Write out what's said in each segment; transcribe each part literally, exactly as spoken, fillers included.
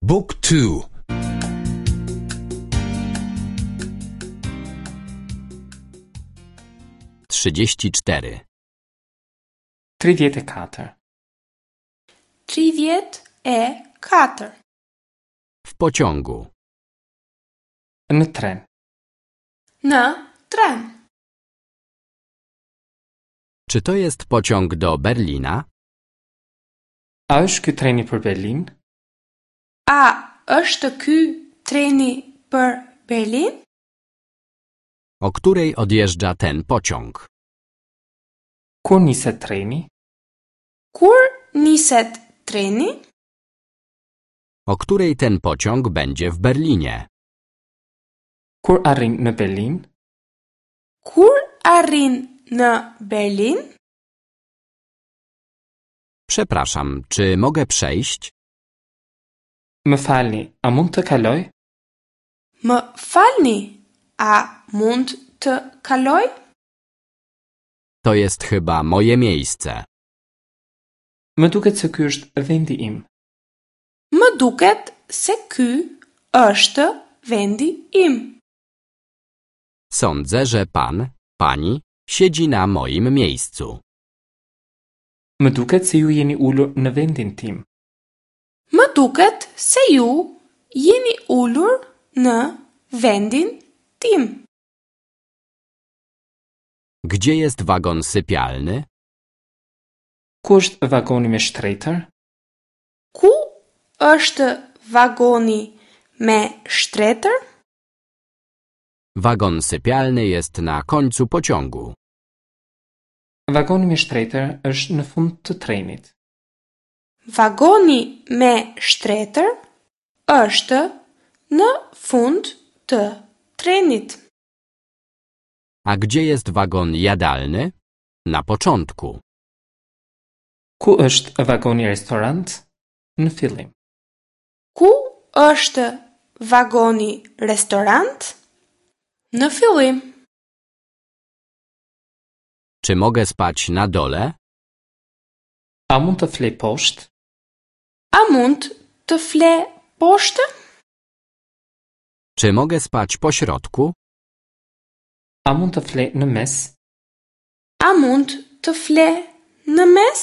Book two. Trzydzieści cztery. Tridhjetë e katër. Tridhjetë e katër. W pociągu. Në tren. Në tren. Czy to jest pociąg do Berlina? A është ky treni për Berlin? A është ky treni për Berlin? O której odjeżdża ten pociąg? Kur niset treni? Kur niset treni? O której ten pociąg będzie w Berlinie? Kur arrin në Berlin? Kur arrin në Berlin? Przepraszam, czy mogę przejść? Më falni, a mund të kaloj? Më falni, a mund të kaloj? To jest chyba moje miejsce. Më duket se ky është vendi im. Më duket se ky është vendi im. Sądzę, że pan, pani siedzi na moim miejscu. Më duket se ju jeni ulur në vendin tim. Më duket se ju jeni ulur në vendin tim. Gdzie jest wagon sypialny? Ku është vagoni me shtretër? Ku është vagoni me shtretër? Wagon sypialny jest na końcu pociągu. Vagoni me shtretër është në fund të trenit. Vagoni me shtretër është në fund të trenit. A gdzie jest wagon jadalny? Na początku. Ku është vagoni restorant? Në fillim. Ku është vagoni restorant? Në fillim. Czy mogę spać na dole? A mund të flej poshtë? A mund të fle poshtë? Czy mogę spać po środku? A mund të flej në mes? A mund të fle në mes?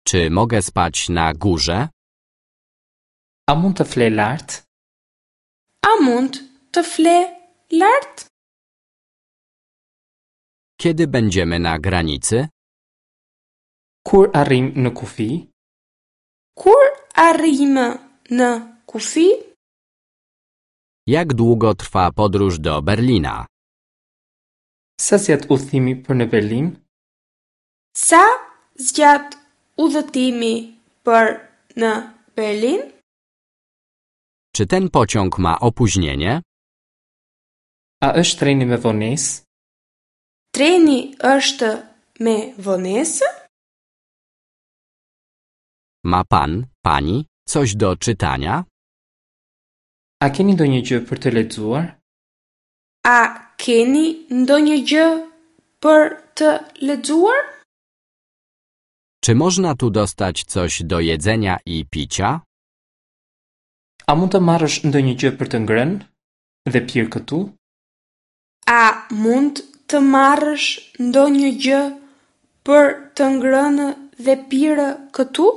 Czy mogę spać na górze? A mund të flej lart? A mund të fle lart? Kiedy będziemy na granicy? Kur arrim në kufi? Kur arrijmë në kufi? Jak długo trwa podróż do Berlina? Sa zgjat udhëtimi për në Berlin? Sa zgjat udhëtimi për në Berlin? Czy ten pociąg ma opóźnienie? A është treni me vonesë? Treni është me vonesë? Ma pan, pani coś do czytania? A keni ndonjë gjë për të lexuar? A keni ndonjë gjë për të lexuar? Czy można tu dostać coś do jedzenia i picia? A mund të marrësh ndonjë gjë për të ngrënë dhe pirë këtu? A mund të marrësh ndonjë gjë për të ngrënë dhe pirë këtu?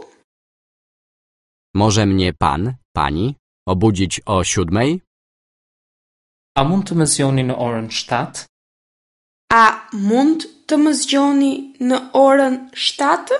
Może mnie pan, pani obudzić o siódmej? A mund të më zgjoni në orën shtatë? A mund të më zgjoni në orën shtatë?